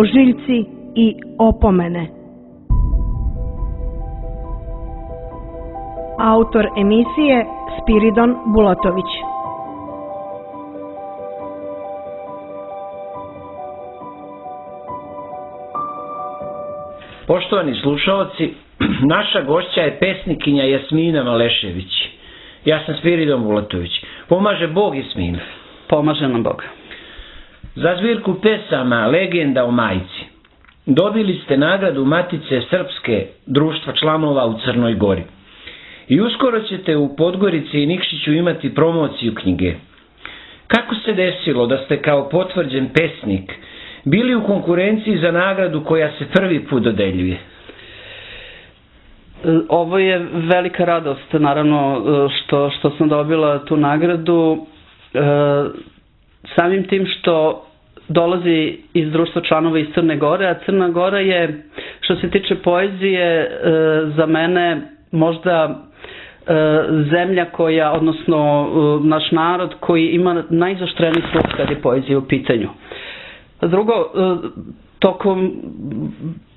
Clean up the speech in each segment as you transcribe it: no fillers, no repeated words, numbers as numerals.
ožiljci i opomene. Autor emisije Spiridon Bulatović. Poštovani slušaoci, naša gošća je pesnikinja Jasmina Malešević. Ja sam Spiridon Bulatović. Pomaže Bog, Jasmina? Pomaže nam Bog. Za zbirku pesama Legenda o majci dobili ste nagradu Matice Srpske društva članova u Crnoj Gori. I uskoro ćete u Podgorici i Nikšiću imati promociju knjige. Kako se desilo da ste kao potvrđen pesnik bili u konkurenciji za nagradu koja se prvi put dodeljuje? Ovo je velika radost, naravno, što sam dobila tu nagradu. Samim tim što dolazi iz društva članova iz Crne Gore, a Crna Gora je, što se tiče poezije, za mene možda zemlja koja, odnosno naš narod koji ima najzaštreniji sluh kad je poezija u pitanju. Drugo, tokom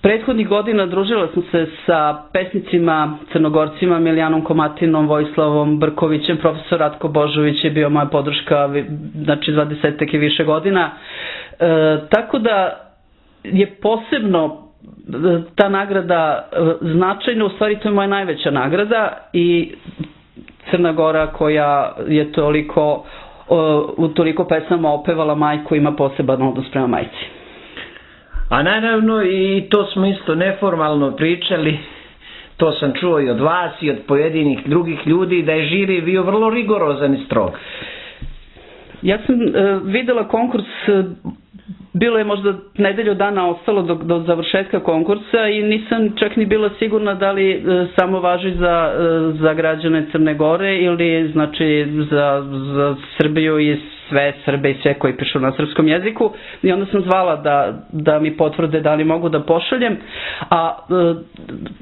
prethodnih godina družila sam se sa pesnicima Crnogorcima, Milijanom Komatinom, Vojislavom Brkovićem, profesor Ratko Božović je bio moja podrška, znači 20 i više godina. Tako da je posebno ta nagrada značajna, u stvari to je moja najveća nagrada i Crna Gora koja je u toliko pesama opevala majku ima poseban odnos prema majci. A naravno i to smo isto neformalno pričali, to sam čuo i od vas i od pojedinih drugih ljudi, da je žiri bio vrlo rigorozan i strog. Ja sam videla konkurs, bilo je možda nedelju dana ostalo do završetka konkursa i nisam čak ni bila sigurna da li samo važi za građane Crne Gore ili znači za Srbiju i sve Srbe i sve koji pišu na srpskom jeziku i onda sam zvala da mi potvrde da li mogu da pošaljem. A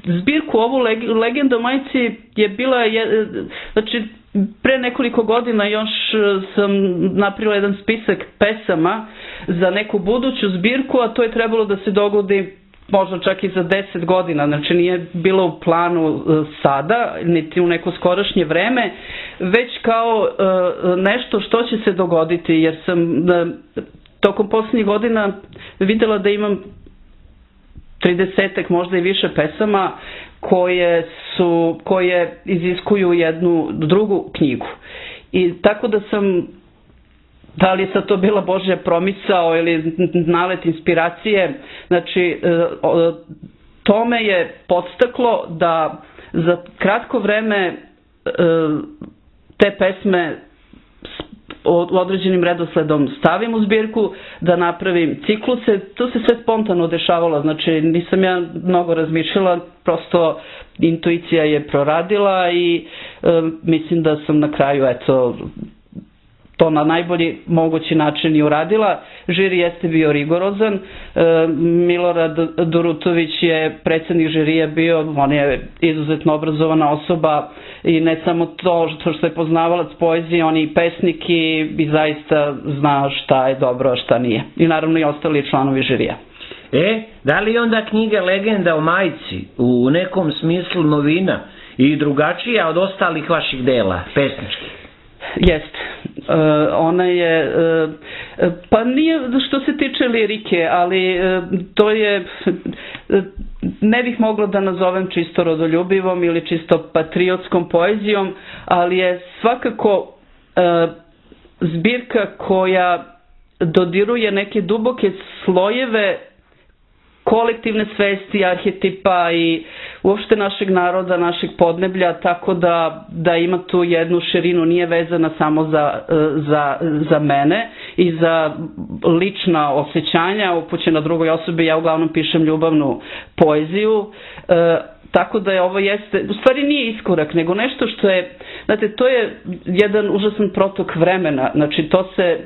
zbirku ovu Legenda o majci je bila, znači pre nekoliko godina još sam napravila jedan spisak pesama za neku buduću zbirku, a to je trebalo da se dogodi možda čak i za 10 godina, znači nije bilo u planu sada, niti u neko skorašnje vreme, već kao nešto što će se dogoditi, jer sam tokom poslednjih godina videla da imam 30-ak možda i više pesama koje iziskuju jednu drugu knjigu. I tako da sam, da li je sad to bila Božja promisao ili nalet inspiracije, znači to me je podstaklo da za kratko vreme te pesme određenim redosledom stavim u zbirku, da napravim cikluse. To se sve spontano dešavalo, znači nisam ja mnogo razmišljala, prosto intuicija je proradila i mislim da sam na kraju to na najbolji mogući način i uradila. Žiri jeste bio rigorozan. Milorad Durutović je predsednik žirija bio, on je izuzetno obrazovana osoba i ne samo to što je poznavalac poezije, on je i pesnik i zaista zna šta je dobro, a šta nije. I naravno i ostali članovi žirija. Da li je onda knjiga Legenda o majci u nekom smislu novina i drugačija od ostalih vaših dela pesničkih? Jeste. Ona je, pa nije što se tiče lirike, ali to je, ne bih mogla da nazovem čisto rodoljubivom ili čisto patriotskom poezijom, ali je svakako zbirka koja dodiruje neke duboke slojeve kolektivne svesti, arhetipa i uopšte našeg naroda, našeg podneblja, tako da ima tu jednu širinu, nije vezana samo za mene i za lična osjećanja upućena drugoj osobi. Ja uglavnom pišem ljubavnu poeziju, tako da je ovo jeste, u stvari nije iskorak, nego nešto što je, znate, to je jedan užasan protok vremena, znači to se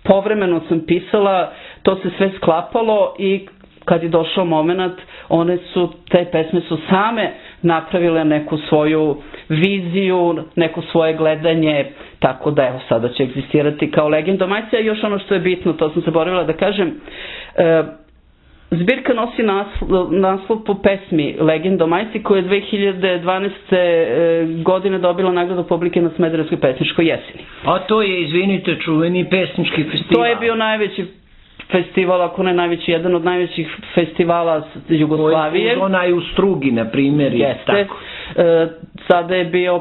povremeno sam pisala, to se sve sklapalo i kad je došao moment, te pesme su same napravile neku svoju viziju, neko svoje gledanje, tako da evo sada će egzistirati kao legenda o majci. A još ono što je bitno, to sam zaboravila da kažem, zbirka nosi naslov po pesmi Legenda o majci, koja je 2012. Godine dobila nagradu publike na Smederevskoj pesničkoj jeseni. A to je, izvinite, čuveni pesnički festival. To je bio najveći festival, ako ne najveći, jedan od najvećih festivala Jugoslavije. Koji onaj u Strugi, na primjer. Jeste. Sada je bio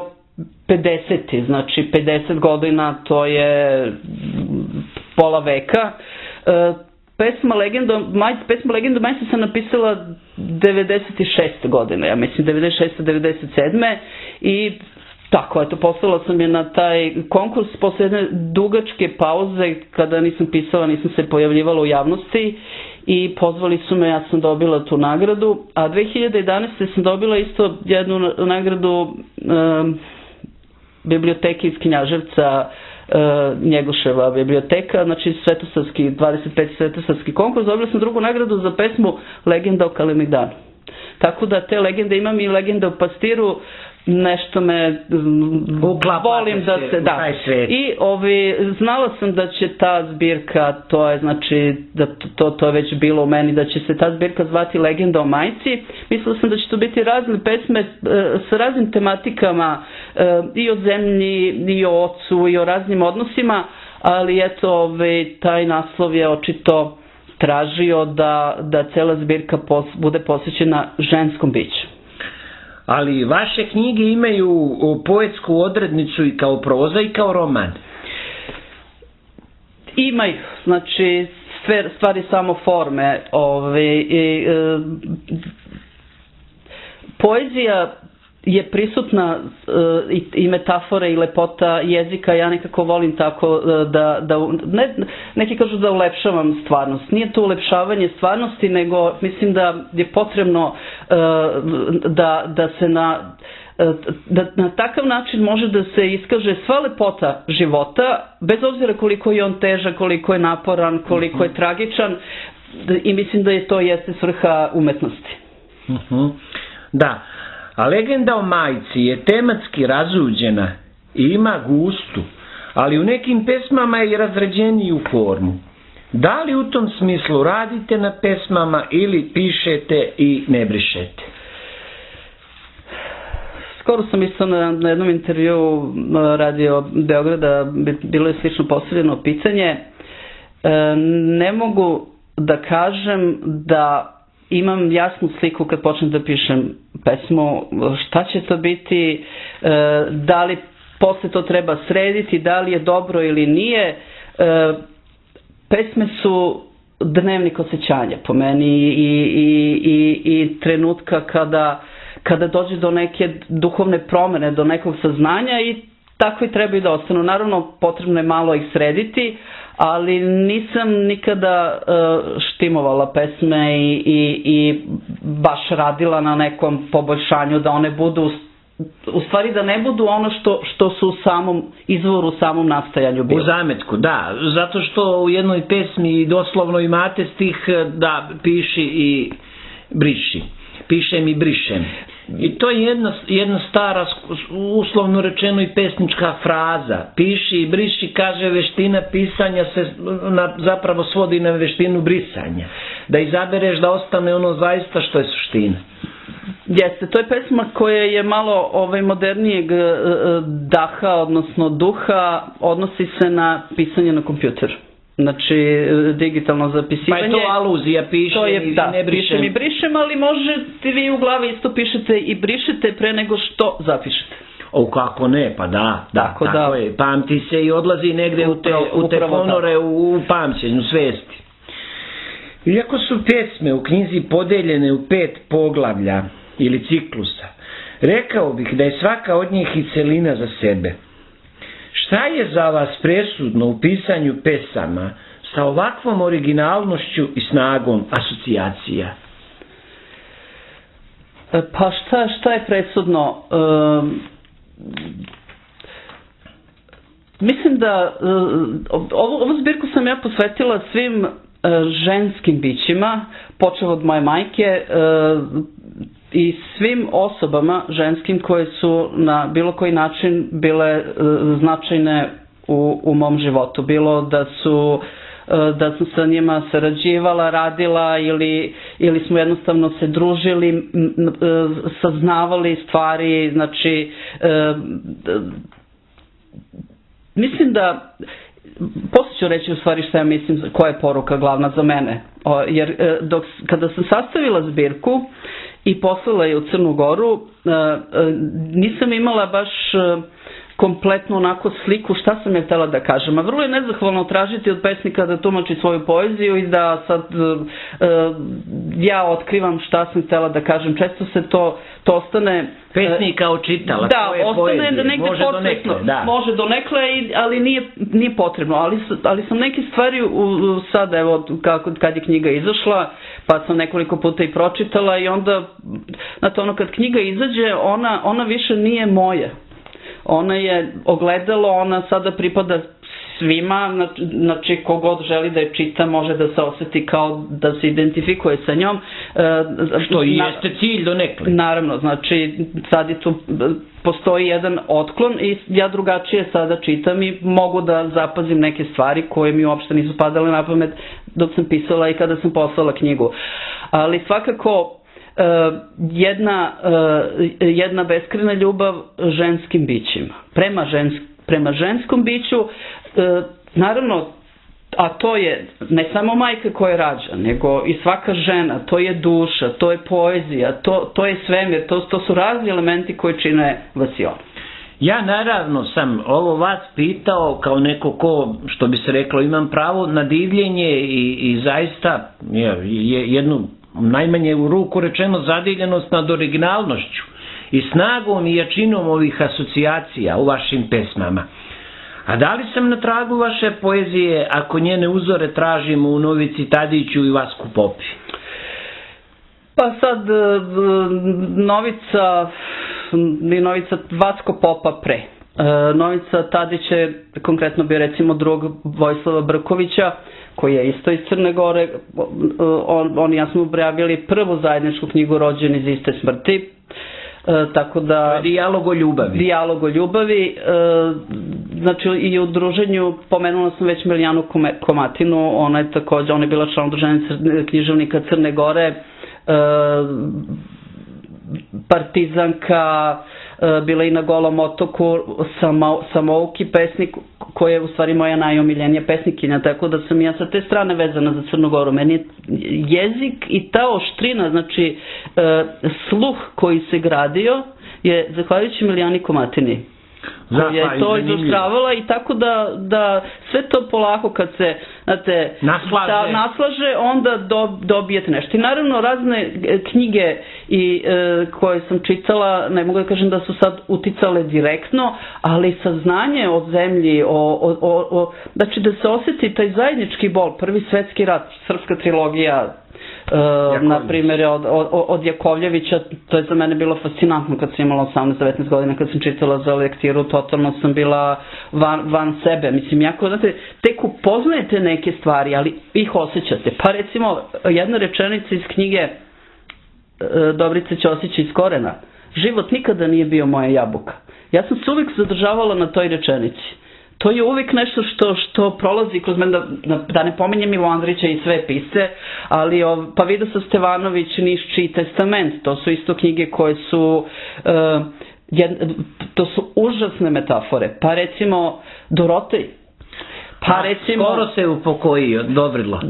50. Znači 50 godina, to je pola veka. Pesma Legenda o majci sam napisala 96. godine, ja mislim 96. 97. I tako, eto, poslala sam je na taj konkurs posle jedne dugačke pauze, kada nisam pisala, nisam se pojavljivala u javnosti i pozvali su me, ja sam dobila tu nagradu, a 2011. sam dobila isto jednu nagradu biblioteke iz Knjaževca, Njegoševa biblioteka, znači 25. svetosavski konkurs. Dobila sam drugu nagradu za pesmu Legenda o Kalemegdanu. Tako da te legende imam, i legende o pastiru, nešto me volim da se da. I znala sam da će ta zbirka, to je znači da to je već bilo u meni, da će se ta zbirka zvati Legenda o majci. Mislila sam da će to biti razne pesme sa raznim tematikama, i o zemlji, i o ocu, i o raznim odnosima, ali eto, taj naslov je očito tražio da cela zbirka bude posvećena ženskom biću. Ali vaše knjige imaju poetsku odrednicu i kao proza i kao roman. Imaju, znači stvari samo forme. Poezija je prisutna, i metafore i lepota jezika, ja nekako volim tako neki kažu da ulepšavam stvarnost. Nije to ulepšavanje stvarnosti, nego mislim da je potrebno da se na takav način može da se iskaže sva lepota života, bez obzira koliko je on težak, koliko je naporan, koliko je tragičan, i mislim da je to jeste svrha umetnosti. Da. A Legenda o majci je tematski razuđena i ima gustu, ali u nekim pesmama je i razređeniju formu. Da li u tom smislu radite na pesmama ili pišete i ne brišete? Skoro sam isto na jednom intervju Radio Beograda, bilo je slično postavljeno pitanje. Ne mogu da kažem da imam jasnu sliku kad počnem da pišem pesmu, šta će to biti, da li posle to treba srediti, da li je dobro ili nije. Pesme su dnevnik osjećanja po meni i trenutka kada dođe do neke duhovne promene, do nekog saznanja, i tako i treba i da ostanu. Naravno, potrebno je malo ih srediti, ali nisam nikada štimovala pesme i baš radila na nekom poboljšanju, da one budu, u stvari da ne budu ono što su u samom izvoru, u samom nastajanju bilo. U zametku, da, zato što u jednoj pesmi doslovno imate stih da piši i briši. Pišem i brišem. I to je jedna stara, uslovno rečeno, i pesnička fraza. Piši i briši, kaže, veština pisanja se zapravo svodi na veštinu brisanja. Da izabereš da ostane ono zaista što je suština. Jeste, to je pesma koja je malo modernijeg daha, odnosno duha, odnosi se na pisanje na kompjuteru. Znači, digitalno zapisivanje. Pa je to aluzija, pišem i ne brišem. Pišem i brišem, ali možete vi u glavi isto pišete i brišete pre nego što zapišete. Kako ne, pa da, tako je. Pamti se i odlazi negde u te ponore, u pamćenju, svesti. Iako su pesme u knjizi podeljene u 5 poglavlja ili ciklusa, rekao bih da je svaka od njih i celina za sebe. Šta je za vas presudno u pisanju pesama sa ovakvom originalnošću i snagom asocijacija? Pa šta je presudno? Mislim da ovu zbirku sam ja posvetila svim ženskim bićima, počeo od moje majke, i svim osobama ženskim koje su na bilo koji način bile značajne u mom životu. Bilo da sam sa njima sarađivala, radila ili smo jednostavno se družili, saznavali stvari, znači mislim da posle ću reći u stvari šta ja mislim koja je poruka glavna za mene, jer kada sam sastavila zbirku i poslala je u Crnu Goru, nisam imala baš kompletno onako sliku šta sam je htela da kažem. A vrlo je nezahvalno tražiti od pesnika da tumači svoju poeziju i da sad ja otkrivam šta sam htela da kažem. Često se to ostane... Pesnik kao čitala svoje poezije. Da, može donekle. Da. Može donekle, ali nije potrebno. Ali sam neke stvari sad, evo, kad je knjiga izašla, pa sam nekoliko puta i pročitala i onda, znate, ono kad knjiga izađe, ona više nije moja. Ona je ogledalo, ona sada pripada svima, znači kogod želi da je čita može da se osjeti kao da se identifikuje sa njom. Što i jeste cilj donekle. Naravno, znači sad je tu, postoji jedan otklon i ja drugačije sada čitam i mogu da zapazim neke stvari koje mi uopšte nisu padale na pamet dok sam pisala i kada sam poslala knjigu. Ali svakako jedna beskrajna ljubav ženskim bićima. Prema ženskom biću, naravno, a to je ne samo majka koja rađa, nego i svaka žena, to je duša, to je poezija, to je svemir, to su razni elementi koji čine vasionu. Ja naravno sam ovo vas pitao kao neko ko, što bi se reklo, imam pravo na divljenje i zaista jednu najmanje u ruku rečeno zadivljenost nad originalnošću i snagom i jačinom ovih asocijacija u vašim pesmama. A da li sam na tragu vaše poezije ako njene uzore tražimo u Novici Tadiću i Vasku Popi? Pa sad Novica Vasko Popa pre. Novica Tadić je, konkretno bi recimo drug Vojislava Brkovića, koji je isto iz Crne Gore. On i ja smo objavili prvu zajedničku knjigu Rođeni iz iste smrti. Tako da... Dijalog o ljubavi. Dijalog o ljubavi. Znači i u druženju pomenula sam već Milijanu Komatinu, ona je također, ona je bila član udruženja književnika Crne Gore, partizanka, bila i na Golom otoku, samouki pesnik, koja je u stvari moja najomiljenija pesnikinja, tako da sam ja sa te strane vezana za Crnu Goru. Meni je jezik i ta oštrina, znači sluh koji se gradio je zahvaljujući Milijani Komatini, koja je to izoštravala, i tako da sve to polako kad se naslaže, onda dobijete nešto. I naravno razne knjige koje sam čitala, ne mogu da kažem da su sad uticale direktno, ali saznanje o zemlji, znači da se osjeti taj zajednički bol, Prvi svetski rat, srpska trilogija, na primjer od Jakovljevića, to je za mene bilo fascinantno kad sam imala 18-19 godina, kad sam čitala za lektiru, totalno sam bila van sebe. Mislim, jako, znate, tek upoznajete neke stvari, ali ih osjećate. Pa recimo, jedna rečenica iz knjige Dobrice Ćosić iz Korena: život nikada nije bio moja jabuka. Ja sam se uvijek zadržavala na toj rečenici. To je uvijek nešto što prolazi kroz mene, da ne pominjem Ivo Andrića i sve pisce, ali pa Vidosav Stevanović, Nišći i Testament, to su isto knjige koje su, to su užasne metafore. Pa recimo Dorotej. Pa recimo... Skoro se upokojio, Dobrilo.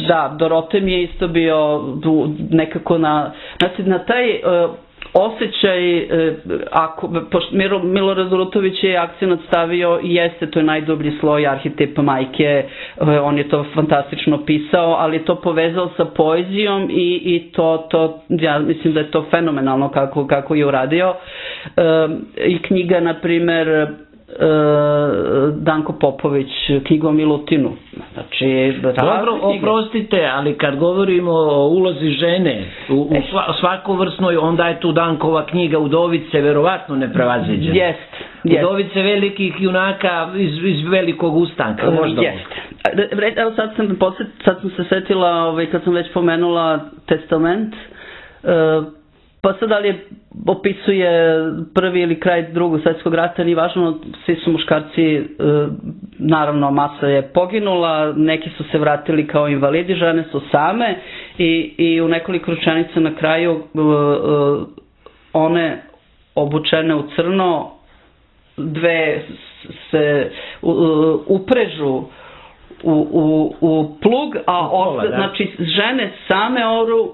Da, Dorotej mi je isto bio nekako na taj... osjećaj, Milorad Rutović je akcenat stavio i jeste, to je najdublji sloj, arhetip majke, on je to fantastično pisao, ali je to povezao sa poezijom i to ja mislim da je to fenomenalno kako je uradio. I knjiga, na primer, Danko Popović, knjiga o Milutinu. Znači, dobro, oprostite, ali kad govorimo o ulozi žene u svakovrsnoj, onda je tu Dankova knjiga Udovice verovatno neprevaziđena. Jest. Udovice velikih junaka iz velikog ustanka. Evo sad sam se setila, kad sam već pomenula Testament, Pa sad da li opisuje prvi ili kraj Drugog svjetskog rata, nije važno, svi su muškarci, naravno masa je poginula, neki su se vratili kao invalidi, žene su same i u nekoliko rečenica na kraju one obučene u crno, dve se uprežu u plug, a znači žene same oru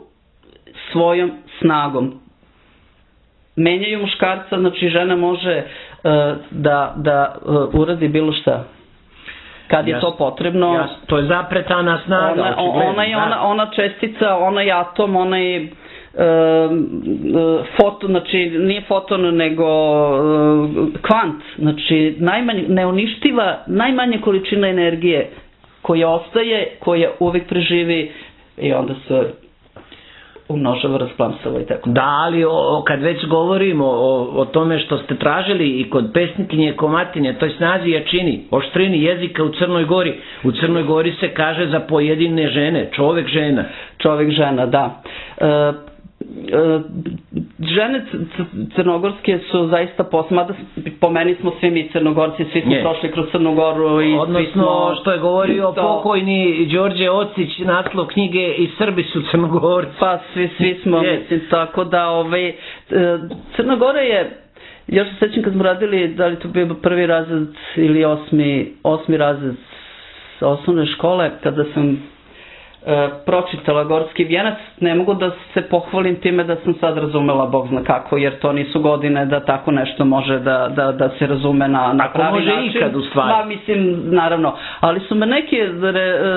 svojom snagom. Menjaju muškarca, znači žena može da uradi bilo šta. Kad je to potrebno. To je zapretana snaga. Ona čestica, onaj atom, onaj foton, znači nije foton nego kvant, znači neuništiva najmanje količina energije koja ostaje, koja uvijek preživi i onda se umnožava, rasplamsava i tako. Da, ali kad već govorimo o tome što ste tražili i kod pesnikinje Komatinje, toj snazi jačini, oštrini jezika u Crnoj Gori. U Crnoj Gori se kaže za pojedine žene, čovek žena. Čovek žena, da. Žene crnogorske su zaista mada po meni smo svi mi Crnogorci, svi smo prošli kroz Crnu Goru. Odnosno što je govorio pokojni Đorđe Ocić, naslov knjige I Srbi su Crnogorci. Pa svi smo, mislim, tako da Crna Gora je, ja se sećam kad smo radili, da li to bio prvi razred ili osmi razred osnovne škole, kada sam pročitala Gorski vijenac, ne mogu da se pohvalim time da sam sad razumela Bog zna kako, jer to nisu godine da tako nešto može da se razume na pravi način. Može ikad u stvari. Pa mislim, naravno, ali su me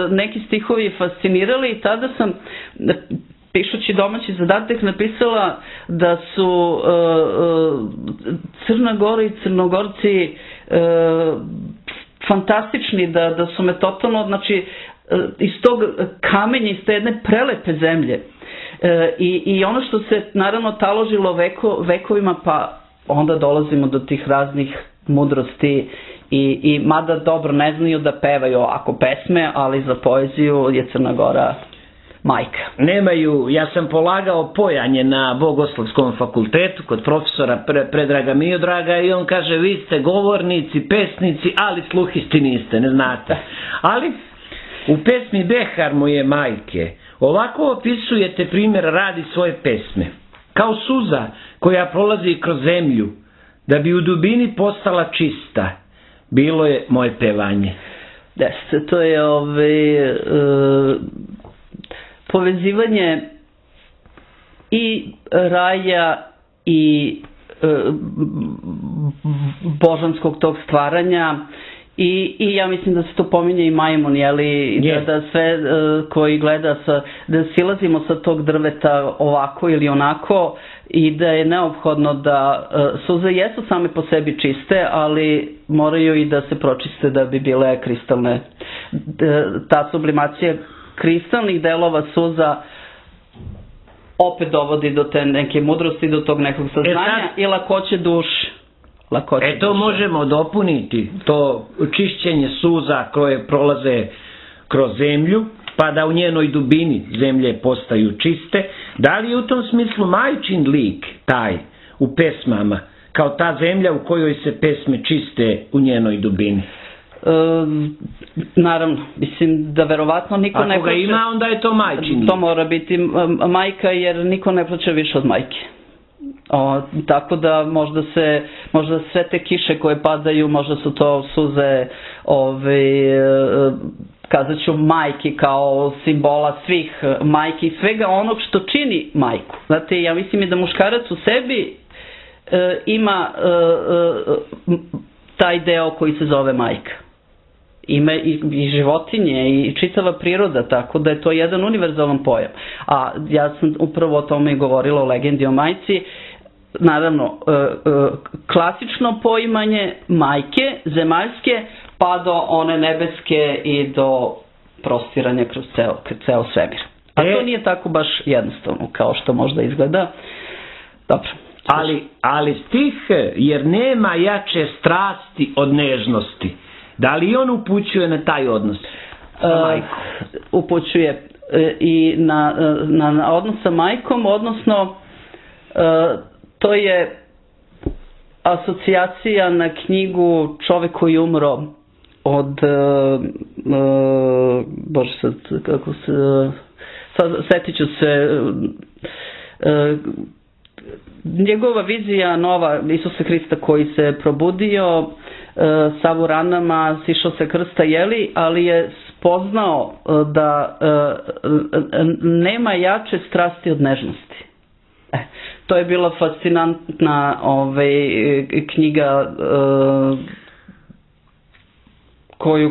neki stihovi fascinirali i tada sam, pišući domaći zadatak, napisala da su Crna Gora i Crnogorci fantastični, da su me totalno, znači, iz tog kamenja, iz te jedne prelepe zemlje i ono što se naravno taložilo vekovima, pa onda dolazimo do tih raznih mudrosti i mada dobro ne znaju da pevaju ovako pesme, ali za poeziju je Crna Gora majka. Nemaju, ja sam polagao pojanje na Bogoslovskom fakultetu kod profesora Predraga Miodraga i on kaže vi ste govornici, pesnici, ali sluhisti niste, ne znate. Ali u pesmi Behar moje majke ovako opisujete primjer radi svoje pesme. Kao suza koja prolazi kroz zemlju, da bi u dubini postala čista, bilo je moje pevanje. Jeste, to je povezivanje i raja i božanskog tog stvaranja. I ja mislim da se to pominje i majmun, da sve koji gleda, da silazimo sa tog drveta ovako ili onako i da je neophodno da suze jesu same po sebi čiste, ali moraju i da se pročiste da bi bile kristalne. Ta sublimacija kristalnih delova suza opet dovodi do te neke mudrosti, do tog nekog saznanja i lakoće duše. To možemo dopuniti, to čišćenje suza koje prolaze kroz zemlju, pa da u njenoj dubini zemlje postaju čiste. Da li je u tom smislu majčin lik taj u pesmama, kao ta zemlja u kojoj se pesme čiste u njenoj dubini? Naravno, mislim da verovatno niko ne plaće. Ako ga ima, onda je to majčin lik. To mora biti majka, jer niko ne plaće više od majke. Tako da možda sve te kiše koje padaju, možda su to suze, kazat ću majki kao simbola svih majki i svega onog što čini majku. Znate, ja mislim i da muškarac u sebi ima taj deo koji se zove majka. Ima i životinje i čitava priroda, tako da je to jedan univerzalan pojam. A ja sam upravo o tome i govorila o legendi o majci. Naravno, klasično poimanje majke, zemaljske, pa do one nebeske i do prostiranja kroz ceo svemir. A to nije tako baš jednostavno kao što možda izgleda. Dobro. Ali stih, jer nema jače strasti od nežnosti. Da li on upućuje na taj odnos sa majkom? Upućuje i na odnos sa majkom, odnosno To je asocijacija na knjigu Čovek koji umro od Bože sad kako se setit ću se njegova vizija nova Isusa Hrista koji se probudio sav u ranama, sišao se krsta jeli, ali je spoznao da nema jače strasti od nežnosti. To je bila fascinantna knjiga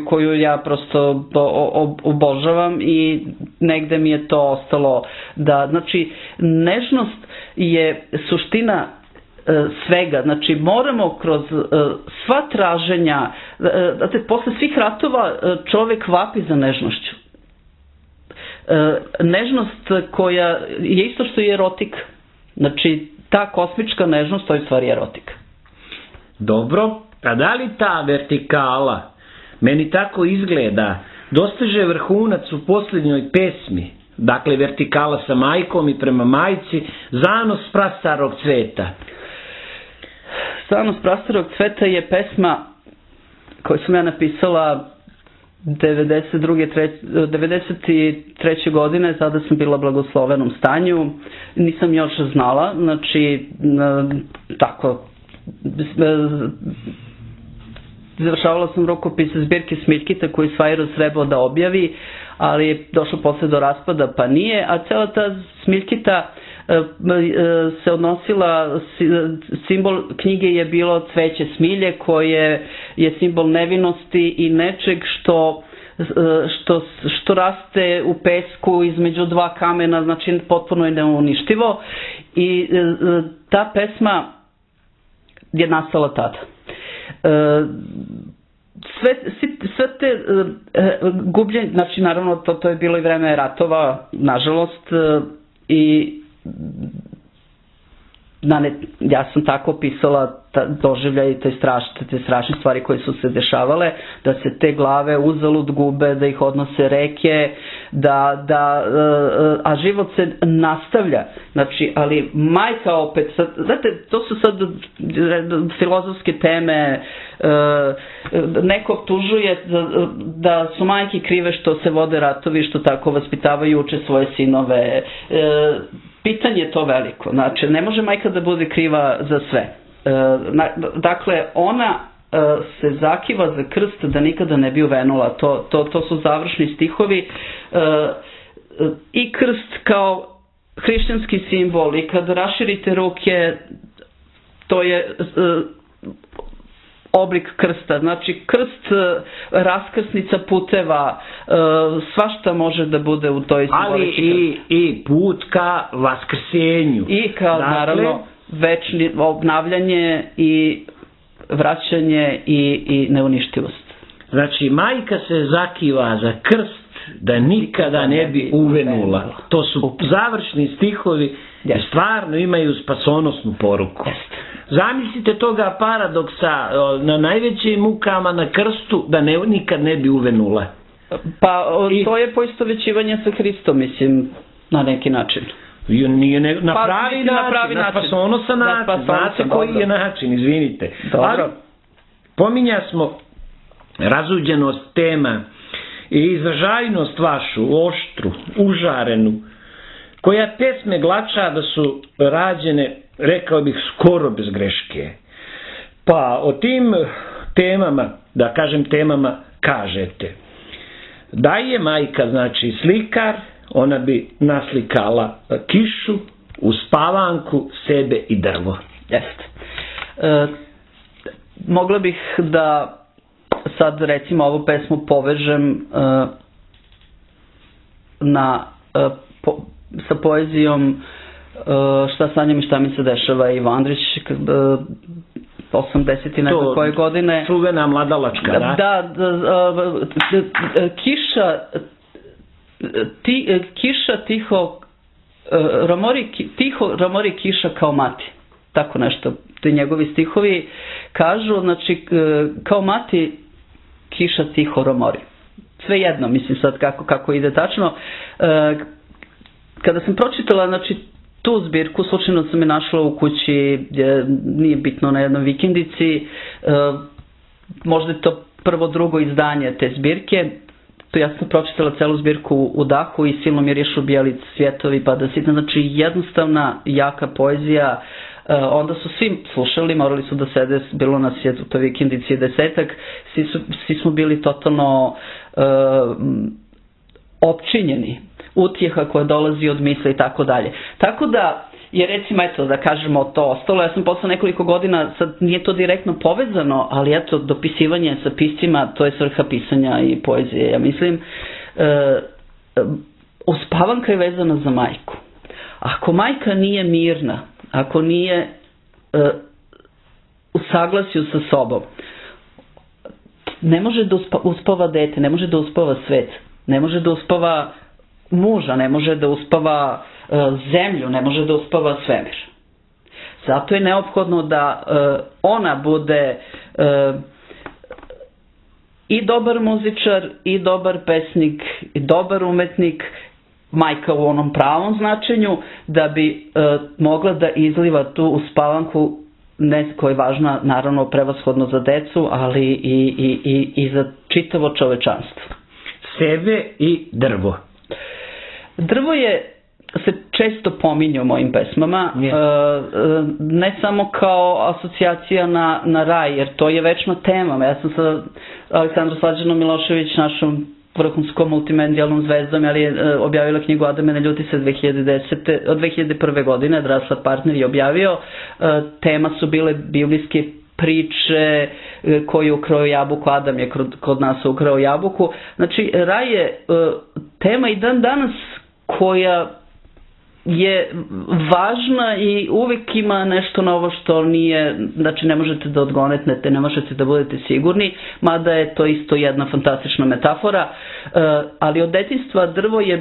koju ja prosto obožavam i negde mi je to ostalo da, znači, nežnost je suština svega, znači moramo kroz sva traženja, posle svih ratova čovek vapi za nežnošću. Nežnost koja je isto što i erotika, znači ta kosmička nežnost, to je stvari erotika. Dobro, a da li ta vertikala, meni tako izgleda, dostiže vrhunac u posljednjoj pesmi, dakle vertikala sa majkom i prema majci, Zanos prastarog cveta? Zanos prastarog cveta je pesma koju sam ja napisala 93. godine, tada sam bila u blagoslovenom stanju, nisam još znala, znači tako, završavala sam rukopis zbirke Smiljkita koji Svajros trebao da objavi, ali je došlo posle do raspada pa nije, a cela ta Smiljkita se odnosila, simbol knjige je bilo cveće smilje koje je simbol nevinosti i nečeg što raste u pesku između dva kamena, znači potpuno je neuništivo i ta pesma je nastala tada. Sve te gubljenje, znači naravno to je bilo i vreme ratova, nažalost, i ja sam tako opisala doživljaj i te strašne stvari koje su se dešavale, da se te glave uzalud gube, da ih odnose reke, a život se nastavlja. Znači, ali majka opet, znate, to su sad filozofske teme, neko optužuje da su majke krive što se vode ratovi, što tako vaspitavaju, uče svoje sinove. Pitanje je to veliko, znači ne može majka da bude kriva za sve. Dakle, ona se zakiva za krst da nikada ne bi uvenula, to su završni stihovi i krst kao hrišćanski simbol i kad raširite ruke to je oblik krsta, znači krst, raskrsnica puteva, svašta može da bude u toj simbolici. Ali i put ka vaskrsenju. I kao, naravno, večno obnavljanje i vraćanje i neuništivost. Znači, majka se zakiva za krst da nikada ne bi uvenula. To su završni stihovi i stvarno imaju spasonosnu poruku. Zamislite toga paradoksa na najvećim mukama na krstu da nikad ne bi uvenula. Pa to je poistovećivanje sa Hristom, mislim, na neki način. Na pravi način, na spasonosan način. Znate koji je način, izvinite. Ali pominja smo razuđenost tema i izražajnost vašu, oštru, užarenu, koja pesme glača da su rađene, rekao bih, skoro bez greške. Pa o tim temama, da kažem temama, kažete da je majka, znači, slikar, ona bi naslikala kišu, uspavanku, sebe i drvo. Jeste. Mogla bih da sad recimo ovu pesmu povežem sa poezijom Šta sanjam i šta mi se dešava, Ivo Andrić, 80 i nekoj koje godine. Čuvena mladalačka, da? Da, kiša tiho romori kiša kao mati. Tako nešto, ti njegovi stihovi kažu, znači kao mati kiša tiho romori. Sve jedno, mislim sad kako ide tačno. Kada sam pročitala, znači tu zbirku slučajno sam je našla u kući, nije bitno, na jednoj vikendici, možda je to prvo, drugo izdanje te zbirke. To ja sam pročitala celu zbirku u dahu i silno mi je riješu bijeli cvjetovi pa da sitna, znači jednostavna, jaka poezija. Onda su svi slušali, morali su da sede, bilo nas je u toj vikendici 10-ak, svi smo bili totalno opčinjeni utjeha koja dolazi od misle i tako dalje. Tako da je, recimo, eto, da kažemo, to ostalo. Ja sam posle nekoliko godina, sad nije to direktno povezano, ali eto, dopisivanje sa piscima, to je svrha pisanja i poezije, ja mislim. Uspavanka je vezana za majku. Ako majka nije mirna, ako nije u saglasju sa sobom, ne može da uspava dete, ne može da uspava svet, ne može da uspava muža, ne može da uspava zemlju, ne može da uspava svemir. Zato je neophodno da ona bude i dobar muzičar, i dobar pesnik, i dobar umetnik, majka u onom pravom značenju, da bi mogla da izliva tu uspavanku, ne koja je važna naravno prevashodno za decu, ali i za čitavo čovečanstvo. Sebe i drvo. Drvo se često pominje u mojim pesmama, ne samo kao asocijacija na raj, jer to je večna tema. Ja sam sa Aleksandrom Slađanom Milošević, našom vrhunskom multimedijalnom zvezdom, ali je objavila knjigu Adame ne ljuti se 2001. godine, Drasla partner je objavio. Tema su bile biblijske priče, ko je ukrao jabuku, Adam je kod nas ukrao jabuku. Znači, raj je tema i dan danas koja je važna i uvijek ima nešto novo što nije, znači ne možete da odgonetnete, ne možete da budete sigurni, mada je to isto jedna fantastična metafora, ali od detinjstva drvo je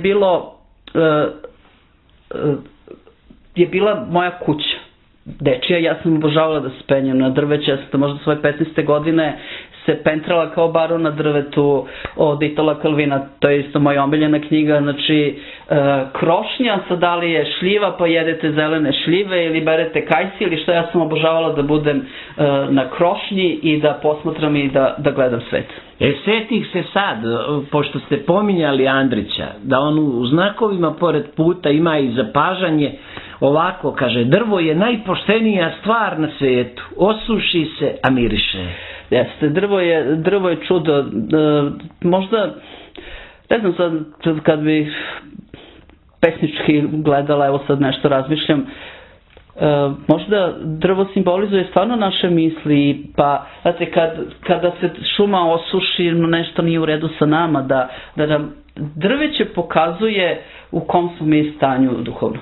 bila moja kuća dečija. Ja sam obožavala da se penjem na drveće, ja sam možda svoje 15. godine se pentrala kao baron na drvetu od Itala Kalvina, to je isto moja omiljena knjiga. Znači, krošnja, sad da li je šljiva pa jedete zelene šljive ili berete kajsi ili što, ja sam obožavala da budem na krošnji i da posmatram i da gledam svet. Setih se sad, pošto ste pominjali Andrića, da on u znakovima pored puta ima i zapažanje, ovako kaže: drvo je najpoštenija stvar na svijetu, osuši se, a miriše. Jeste, drvo je čudo. Možda, ne znam sad, kad bi pesnički gledala, evo sad nešto razmišljam, možda drvo simbolizuje stvarno naše misli, pa znate, kada se šuma osuši, nešto nije u redu sa nama, da nam drveće pokazuje u kom smo mi stanju duhovno.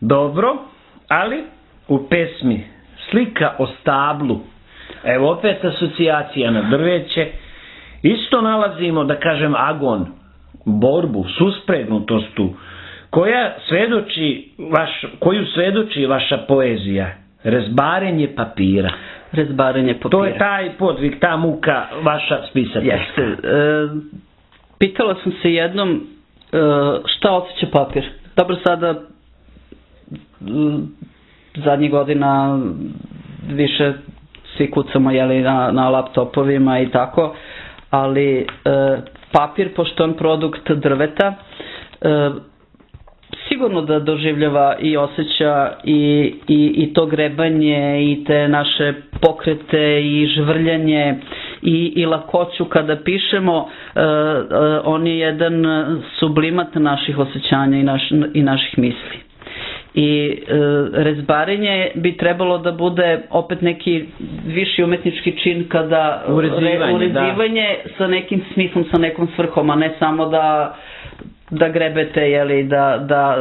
Dobro, ali u pesmi Slika o stablu, evo opet asocijacija na drveće, isto nalazimo, da kažem, agon, borbu, suspregnutost, koju svedoči vaša poezija, rezbarenje papira. Rezbarenje papira. To je taj podvig, ta muka vaša spisateljska. Jeste. Pitala sam se jednom šta osjeća papir. Dobro, sada zadnjih godina više svi kucamo na laptopovima i tako, ali papir, pošto on produkt drveta, sigurno da doživljava i osjeća i to grebanje i te naše pokrete i žvrljanje i lakoću kada pišemo. On je jedan sublimat naših osjećanja i naših misli. I rezbarenje bi trebalo da bude opet neki viši umetnički čin, kada urezivanje sa nekim smislom, sa nekom svrhom, a ne samo da grebete,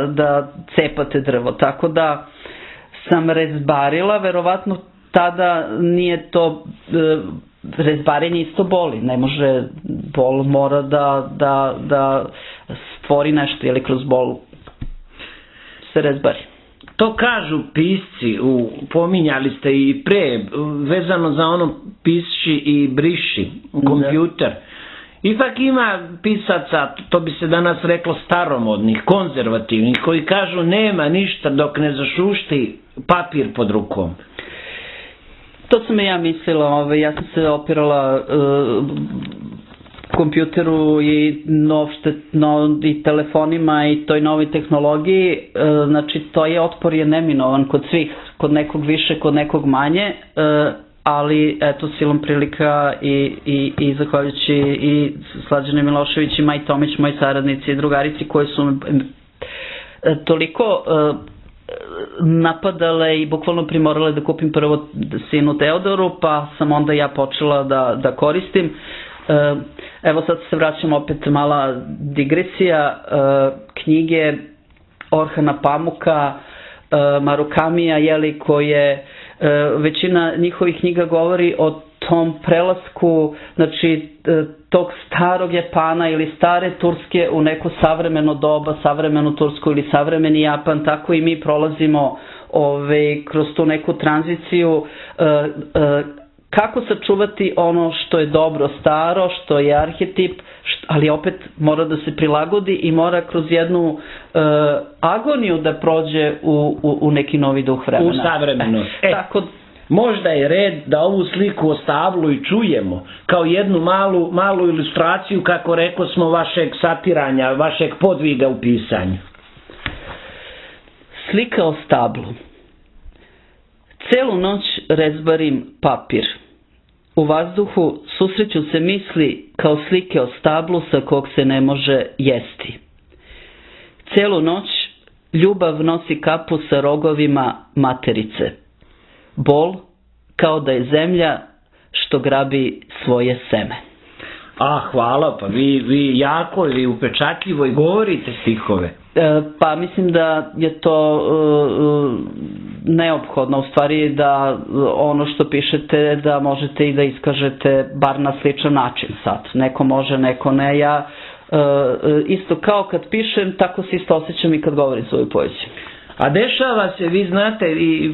da cepate drvo. Tako da sam rezbarila, verovatno tada nije to, rezbarenje isto boli, ne može, bol mora da stvori nešto, ili kroz bol se rezbari. To kažu pisci, pominjali ste i pre, vezano za ono piši i briši, kompjuter. Ipak ima pisaca, to bi se danas reklo staromodnih, konzervativnih, koji kažu nema ništa dok ne zašušti papir pod rukom. To sam i ja mislila, ja sam se opirala kompjuteru i i telefonima i toj novoj tehnologiji, znači to je otpor je neminovan kod svih, kod nekog više, kod nekog manje, ali eto silom prilika i zahvaljujući i Slađane Milošević i Maj Tomić, moji saradnici i drugarici koji su toliko napadale i bukvalno primorale da kupim prvo sinu Teodoru, pa sam onda ja počela da koristim. Evo sad se vraćam opet, mala digresija, knjige Orhana Pamuka, Marukamija, koje većina njihovih knjiga govori o tom prelasku, znači tog starog Japana ili stare Turske u neko savremeno doba, savremenu Tursku ili savremeni Japan, tako i mi prolazimo kroz tu neku tranziciju, kako sačuvati ono što je dobro staro, što je arhetip, ali opet mora da se prilagodi i mora kroz jednu agoniju da prođe u neki novi duh vremena. U savremenost. Tako. Možda je red da ovu sliku o stablu i čujemo kao jednu malu ilustraciju, kako rekao smo, vašeg satiranja, vašeg podviga u pisanju. Slika o stablu. Celu noć rezbarim papir. U vazduhu susreću se misli kao slike o stablu sa kog se ne može jesti. Celu noć ljubav nosi kapu sa rogovima materice. Bol kao da je zemlja što grabi svoje seme. Hvala, pa vi jako i upečatljivo i govorite stihove. Pa mislim da je to neophodno, u stvari da ono što pišete da možete i da iskažete bar na sličan način sad. Neko može, neko ne. Ja isto kao kad pišem, tako se isto osjećam i kad govorim svoju poeziju. A dešava se, vi znate, i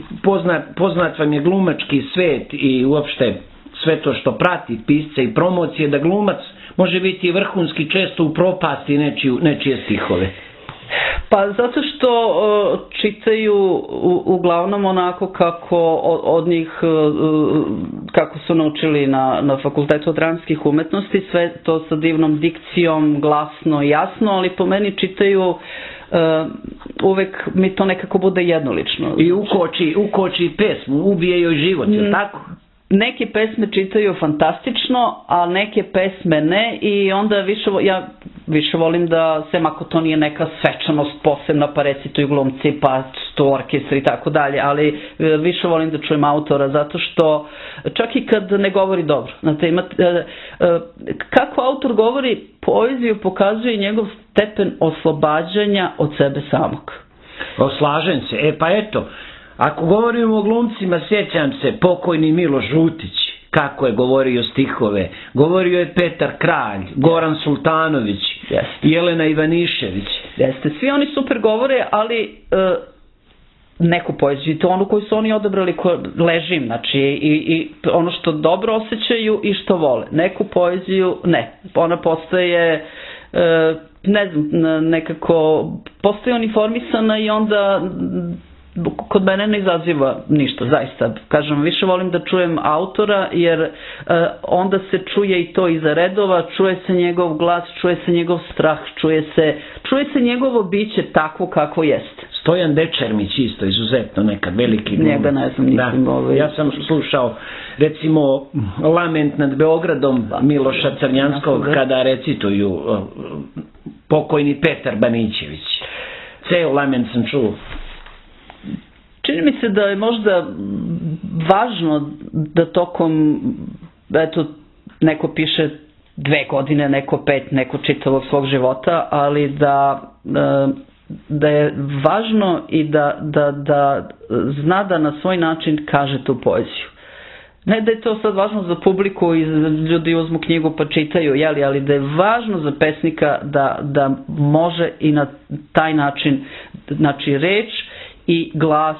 poznat vam je glumački svet i uopšte sve to što prati pisce i promocije, da glumac može biti vrhunski često u propasti nečije stihove. Pa zato što čitaju uglavnom onako kako od njih, kako su naučili na Fakultetu dramskih umetnosti, sve to sa divnom dikcijom, glasno i jasno, ali po meni čitaju uvek mi to nekako bude jednolično. I ukoči pesmu, ubije joj život, je tako? Neke pesme čitaju fantastično, a neke pesme ne, i onda ja više volim da, sem ako to nije neka svečanost posebna, pa recituju glumci, pa sto orkestra i tako dalje, ali više volim da čujem autora, zato što čak i kad ne govori dobro, znate, kako autor govori, poeziju pokazuje njegov stepen oslobađanja od sebe samog. Slažem se, pa eto, ako govorimo o glumcima, sjećam se pokojni Miloš Žutić, kako je govorio stihove. Govorio je Petar Kralj, Goran Sultanović, Jelena Ivanišević. Jeste, svi oni super govore, ali neku poeziju, to onu koju su oni odabrali, ležim, znači i ono što dobro osjećaju i što vole. Neku poeziju ne, ona postaje, ne znam, nekako postaje uniformisana i onda kod mene ne izaziva ništa, zaista. Kažem, više volim da čujem autora, jer onda se čuje i to iza redova, čuje se njegov glas, čuje se njegov strah, čuje se njegovo biće takvo kako jeste. Stojan Dečermić isto izuzetno nekad veliki glumac. Njega ne znam, nisam Ja sam slušao recimo Lament nad Beogradom Miloša Crnjanskog kada recituju pokojni Petar Banićević. Ceo Lament sam čuo. Čini mi se da je možda važno da tokom, eto, neko piše 2 godine, neko 5, neko čitavog svog života, ali da je važno i da zna da na svoj način kaže tu poeziju. Ne da je to sad važno za publiku i ljudi uzmu knjigu pa čitaju, ali da je važno za pesnika da može i na taj način, znači reč i glas,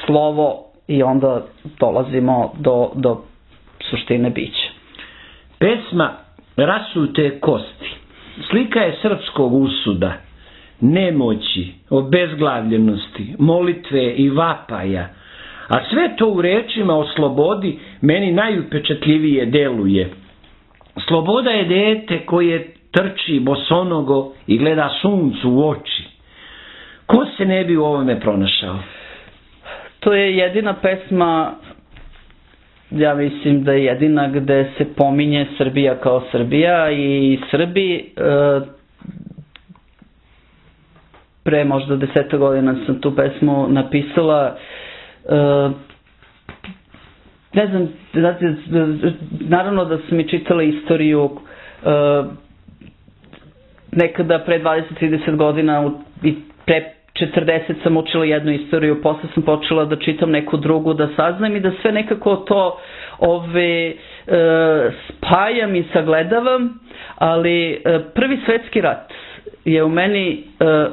slovo, i onda dolazimo do suštine bića. Pesma rasute kosti. Slika je srpskog usuda, nemoći, obezglavljenosti, molitve i vapaja, a sve to u rečima o slobodi meni najupečatljivije deluje. Sloboda je dete koje trči bosonogo i gleda suncu u oči. Ko se ne bi u ovome pronašao? To je jedina pesma, ja mislim da je jedina gde se pominje Srbija kao Srbija i Srbi. Pre možda 10 godina sam tu pesmu napisala. Ne znam, naravno da sam i čitala istoriju. Nekada pre 20-30 godina i pre 40 sam učila jednu istoriju, posle sam počela da čitam neku drugu, da saznam i da sve nekako to spajam i sagledavam, ali Prvi svetski rat je u meni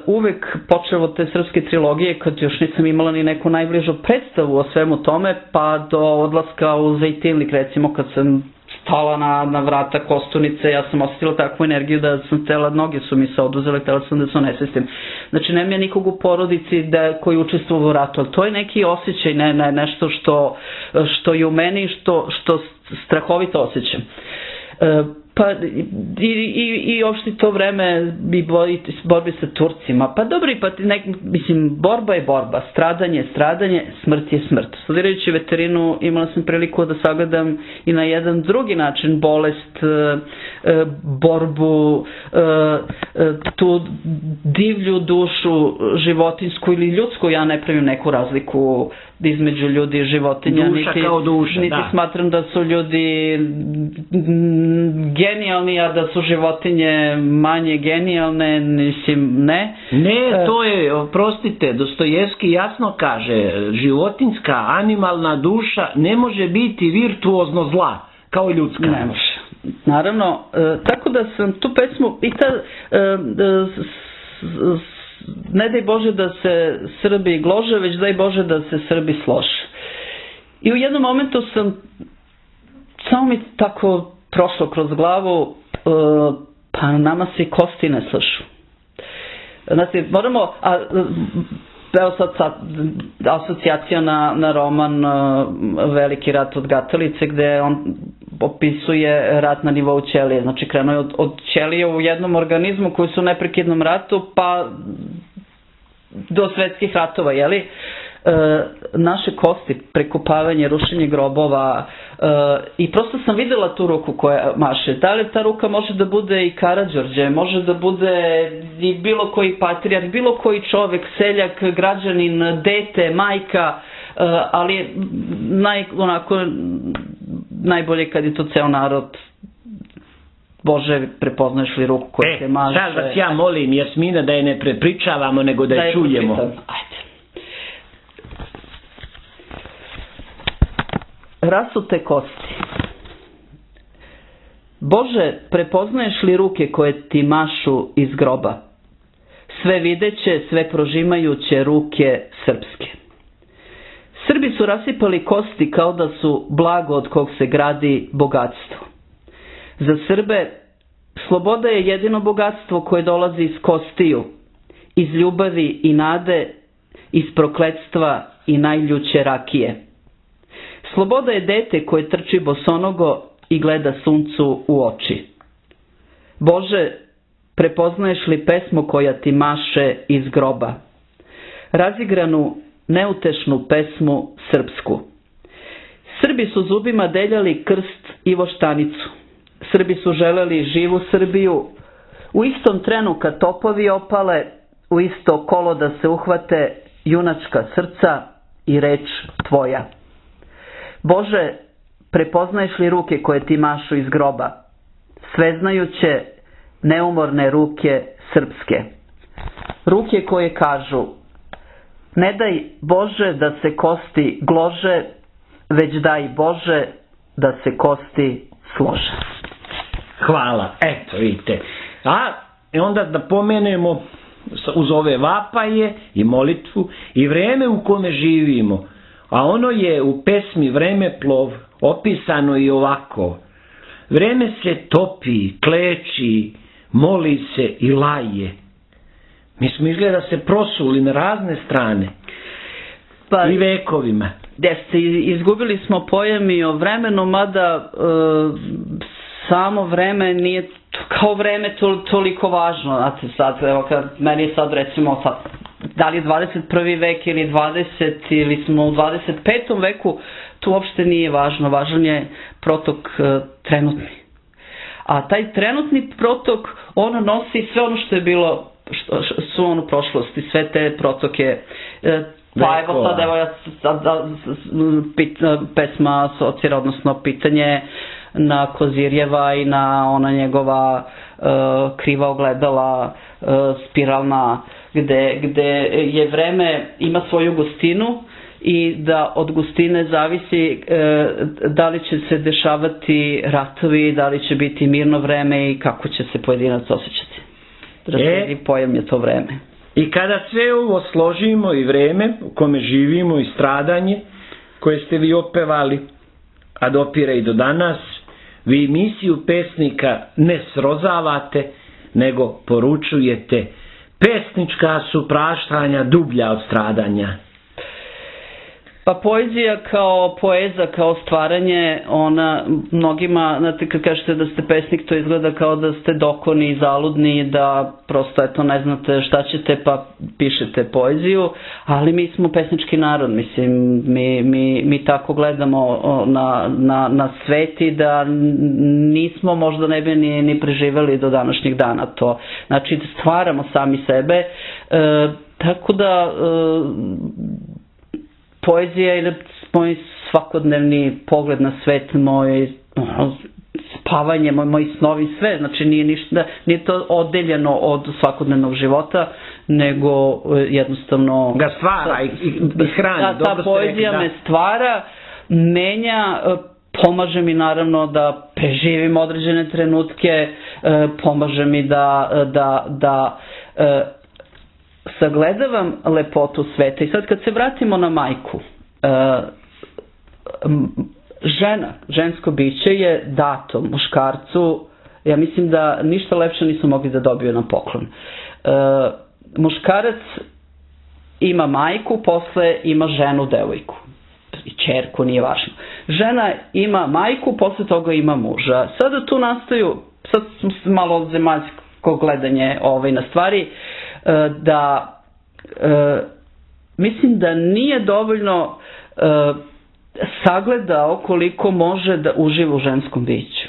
uvek počeo od te srpske trilogije, kad još nisam imala ni neku najbližu predstavu o svemu tome, pa do odlaska u Zejtinlik, recimo, kad sam stala na vrata Kostunice, ja sam osjetila takvu energiju da sam htjela, noge su mi se oduzele, htjela sam da se onesvestim. Znači, nema ja nikog u porodici koji učestvuje u ratu, ali to je neki osjećaj, nešto što je u meni, što strahovito osjećam. Pa i uopšte to vreme borbi sa Turcima, pa dobro, mislim, borba je borba, stradanje, smrt je smrt. Studirajući veterinu imala sam priliku da sagledam i na jedan drugi način bolest, borbu, tu divlju dušu životinsku ili ljudsku, ja ne pravim neku razliku između ljudi i životinja. Duša kao duša, niti smatram da su ljudi genijalni, a da su životinje manje genijalne, mislim, ne. Ne, to je, oprostite, Dostojevski jasno kaže, životinska, animalna duša ne može biti virtuozno zla, kao ljudska. Ne može. Naravno, tako da sam tu pesmu i ne daj Bože da se Srbi glože, već daj Bože da se Srbi slože. I u jednom momentu samo mi tako prošlo kroz glavu, pa nama se i kosti ne slažu. Znači, moramo, evo sad asocijacija na roman Veliki rat od Gatalice, gde on opisuje rat na nivou ćelije. Znači, krenuo je od ćelije u jednom organizmu koji su u neprekidnom ratu, pa do svetskih ratova, jeli? Naše kosti, prekopavanje, rušenje grobova, i prosto sam videla tu ruku koja maše. Da li ta ruka može da bude i Karađorđe, može da bude i bilo koji patrijarh, bilo koji čovek, seljak, građanin, dete, majka, ali najbolje kad je to ceo narod. Bože, prepoznaješ li ruku koja te maše? Sad vas ja molim, Jasmina, da je ne prepričavamo, nego da je čujemo. Ajde. Rasute kosti. Bože, prepoznaješ li ruke koje ti mašu iz groba? Sve videće, sve prožimajuće ruke srpske. Srbi su rasipali kosti kao da su blago od kog se gradi bogatstvo. Za Srbe sloboda je jedino bogatstvo koje dolazi iz kostiju, iz ljubavi i nade, iz prokletstva i najljuće rakije. Sloboda je dete koje trči bosonogo i gleda suncu u oči. Bože, prepoznaješ li pesmu koja ti maše iz groba? Razigranu, neutešnu pesmu srpsku. Srbi su zubima deljali krst i voštanicu. Srbi su želeli živu Srbiju. U istom trenu kad topovi opale, u isto kolo da se uhvate junačka srca i reč tvoja. Bože, prepoznaješ li ruke koje ti mašu iz groba? Sveznajuće, neumorne ruke srpske. Ruke koje kažu, ne daj Bože da se kosti glože, već daj Bože da se kosti slože. Hvala, eto vidite. A onda da pomenemo uz ove vapaje i molitvu i vreme u kome živimo. A ono je u pesmi Vremeplov opisano i ovako. Vreme se topi, kleči, moli se i laje. Mi smo izgleda se prosuli na razne strane. Pa, i vekovima. Jeste, izgubili smo pojam i o vremenu, mada samo vreme nije kao vreme toliko važno. Znate, sad, evo, meni je sad recimo sad, da li je 21. vek ili 20. ili smo u 25. veku, to uopšte nije važno. Važan je protok trenutni. A taj trenutni protok, on nosi sve ono što je bilo, što su ono prošlosti, sve te protoke. Pa evo sad, evo ja pesma asocira, odnosno pitanje na Kozirjeva i na ona njegova kriva ogledala, spiralna, gde je vreme ima svoju gustinu i da od gustine zavisi da li će se dešavati ratovi, da li će biti mirno vreme i kako će se pojedinac osjećati. Razredi pojam je to vreme. I kada sve ovo složimo, i vreme u kome živimo i stradanje koje ste vi opevali, a dopire i do danas, vi misiju pesnika ne srozavate, nego poručujete: pesnička su praštanja dublja od stradanja. Pa poezija kao poeza, kao stvaranje, ona mnogima, znate, kad kažete da ste pesnik, to izgleda kao da ste dokoni i zaludni, da prosto eto ne znate šta ćete pa pišete poeziju, ali mi smo pesnički narod, mislim, mi tako gledamo na sveti da nismo, možda ne bi ni preživeli do današnjeg dana to. Znači, stvaramo sami sebe, tako da poezija je moj svakodnevni pogled na svet, moj spavanje, moji snovi, sve. Znači nije to oddeljeno od svakodnevnog života, nego jednostavno ga stvara i hrani. Ta poezija me stvara, menja, pomaže mi naravno da preživim određene trenutke, pomaže mi da sagledavam lepotu sveta. I sad kad se vratimo na majku, žena, žensko biće je dato muškarcu, ja mislim da ništa lepše nisu mogli da dobiju na poklon. Muškarac ima majku, posle ima ženu, devojku i ćerku, nije važno. Žena ima majku, posle toga ima muža. Sada tu nastaju, sad malo zemaljsko gledanje na stvari, da mislim da nije dovoljno sagledao koliko može da uživa u ženskom biću.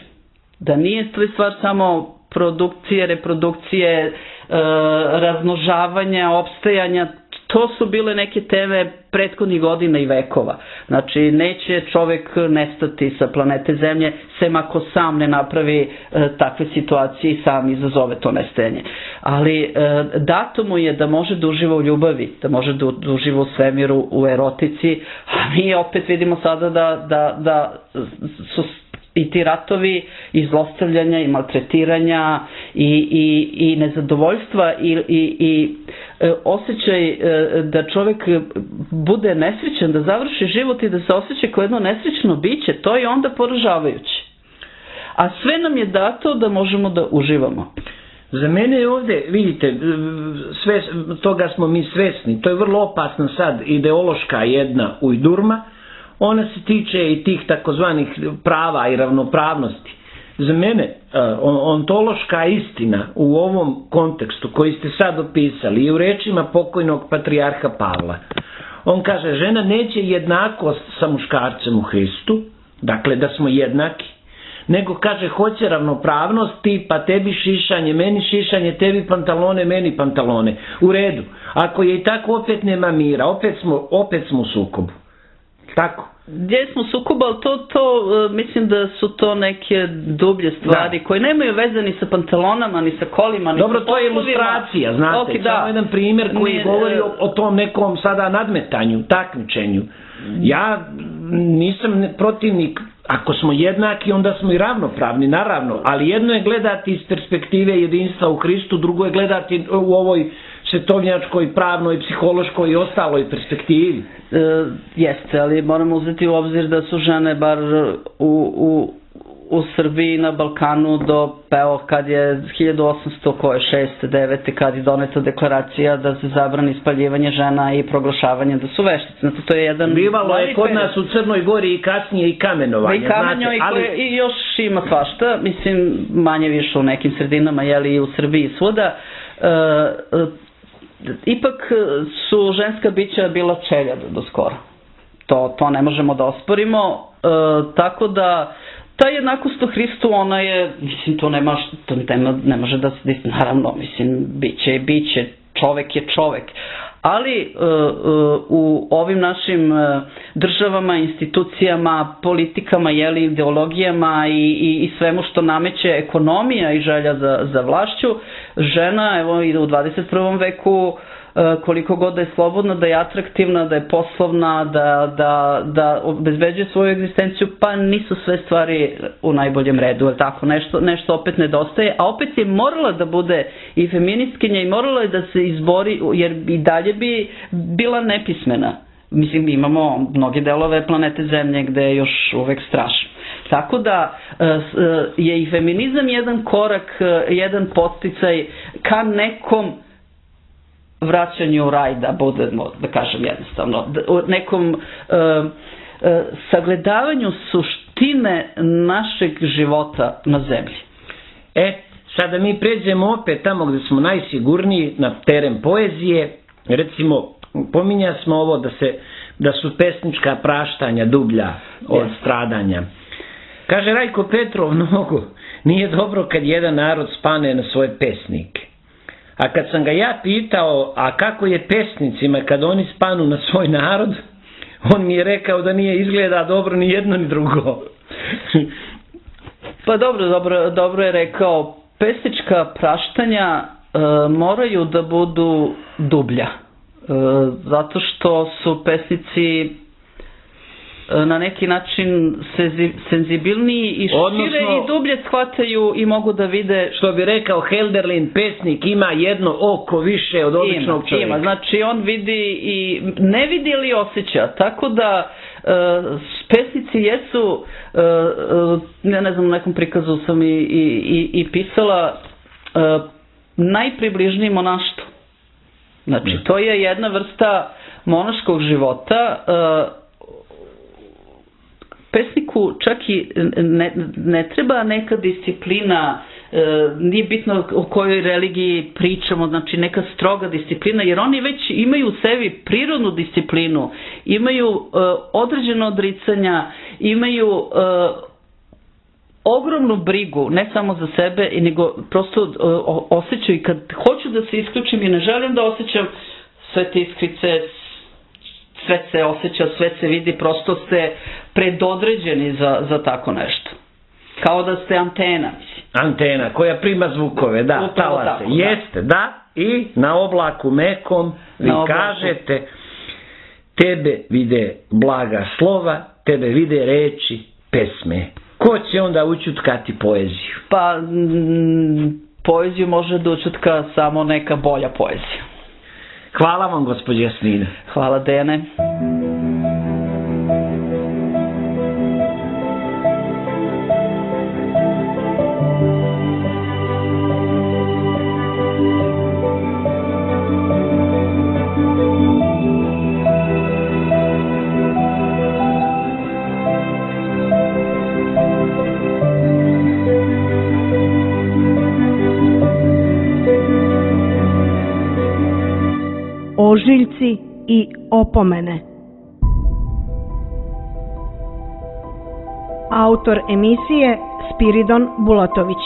Da nije to stvar samo produkcije, reprodukcije, razmnožavanja, opstajanja. To su bile neke teme prethodnih godina i vekova. Znači, neće čovek nestati sa planete Zemlje, sem ako sam ne napravi takve situacije i sam izazove to nestajanje. Ali dato mu je da može da uživa u ljubavi, da može da uživa u svemiru, u erotici, a mi opet vidimo sada da su i ti ratovi i zlostavljanja i maltretiranja i nezadovoljstva i osjećaj da čovjek bude nesrećan, da završi život i da se osjeća kao jedno nesrećno biće, to je onda poražavajuće. A sve nam je dato da možemo da uživamo. Za mene je ovdje, vidite, toga smo mi svesni, to je vrlo opasna sad ideološka jedna ujdurma, ona se tiče i tih takozvanih prava i ravnopravnosti. Za mene ontološka istina u ovom kontekstu koji ste sad opisali je u rečima pokojnog patrijarha Pavla. On kaže: žena neće jednakost sa muškarcem u Hristu, dakle da smo jednaki, nego kaže hoće ravnopravnost, tipa tebi šišanje, meni šišanje, tebi pantalone, meni pantalone. U redu. Ako je i tako, opet nema mira, opet smo u sukobu. Tako. Gdje smo sukoba, ali to mislim da su to neke dublje stvari koje nemaju veze ni sa pantalonama, ni sa kolima, ni sa poslovima. Dobro, to je ilustracija, znate, samo jedan primjer koji govori o tom nekom sada nadmetanju, takmičenju. Ja nisam protivnik, ako smo jednaki, onda smo i ravnopravni, naravno, ali jedno je gledati iz perspektive jedinstva u Hristu, drugo je gledati u ovoj svetovnjačkoj, pravnoj, psihološkoj i ostaloj perspektivi. Jeste, ali moramo uzeti u obzir da su žene bar u Srbiji na Balkanu do kad je 1806. 9. kad je doneta deklaracija da se zabrani spaljivanje žena i proglašavanje da su veštice. Znači, to je jedan... Bivalo je kod nas u Crnoj Gori i kasnije i kamenovanje. I kamenjo, i još ima svašta, mislim, manje više u nekim sredinama, jeli i u Srbiji i svuda. Ipak su ženska bića bila čelja do skora. To ne možemo da osporimo, tako da ta jednakost u Hristu, ona je, mislim, to ne može da se, naravno, mislim, biće, čovek je čovek. Ali u ovim našim državama, institucijama, politikama, ideologijama i svemu što nameće ekonomija i želja za vlašću, žena, evo, i u 21. veku, koliko god da je slobodna, da je atraktivna, da je poslovna, da obezbeđuje svoju egzistenciju, pa nisu sve stvari u najboljem redu, ali tako, nešto opet nedostaje, a opet je morala da bude i feministkinja i morala je da se izbori, jer i dalje bi bila nepismena. Mislim, imamo mnoge delove planete Zemlje gde je još uvek strašno. Tako da je i feminizam jedan korak, jedan podsticaj ka nekom vraćanju u raj, da budemo, da kažem jednostavno, nekom sagledavanju suštine našeg života na zemlji. Sada mi pređemo opet tamo gde smo najsigurniji, na teren poezije. Recimo, pominja smo ovo da su pesnička praštanja dublja od stradanja. Kaže Rajko Petrov mnogo, nije dobro kad jedan narod spane na svoje pesnike. A kad sam ga ja pitao, a kako je pesnicima kad oni spanu na svoj narod, on mi je rekao da nije izgleda dobro ni jedno ni drugo. Pa dobro je rekao, pesnička praštanja moraju da budu dublja. Zato što su pesnici na neki način senzibilniji i šire i dublje shvataju i mogu da vide... Što bi rekao Helderlin, pesnik ima jedno oko više od običnog čovjeka. Ima, znači on vidi i ne vidi ili osjeća, tako da pesnici jesu, ja ne znam, u nekom prikazu sam i pisala, najpribližniji monaštvu. Znači, to je jedna vrsta monaškog života. Pesniku čak i ne treba neka disciplina, nije bitno o kojoj religiji pričamo, znači neka stroga disciplina, jer oni već imaju u sebi prirodnu disciplinu, imaju određeno odricanja, imaju ogromnu brigu, ne samo za sebe, nego prosto osjećaju i kad hoću da se isključim i ne želim da osjećam sve te iskrice, sve se osjeća, sve se vidi, prosto ste predodređeni za tako nešto. Kao da ste antena. Antena koja prima zvukove, da, talase. Jeste, da, i na oblaku mekom vi kažete, tebe vide blaga slova, tebe vide reči, pesme. Ko će onda učutkati poeziju? Pa, poeziju može da učutka samo neka bolja poezija. Hvala vam, gospođo Jasmina. Hvala, Dejane. Ožiljci i opomene. Autor emisije Spiridon Bulatović.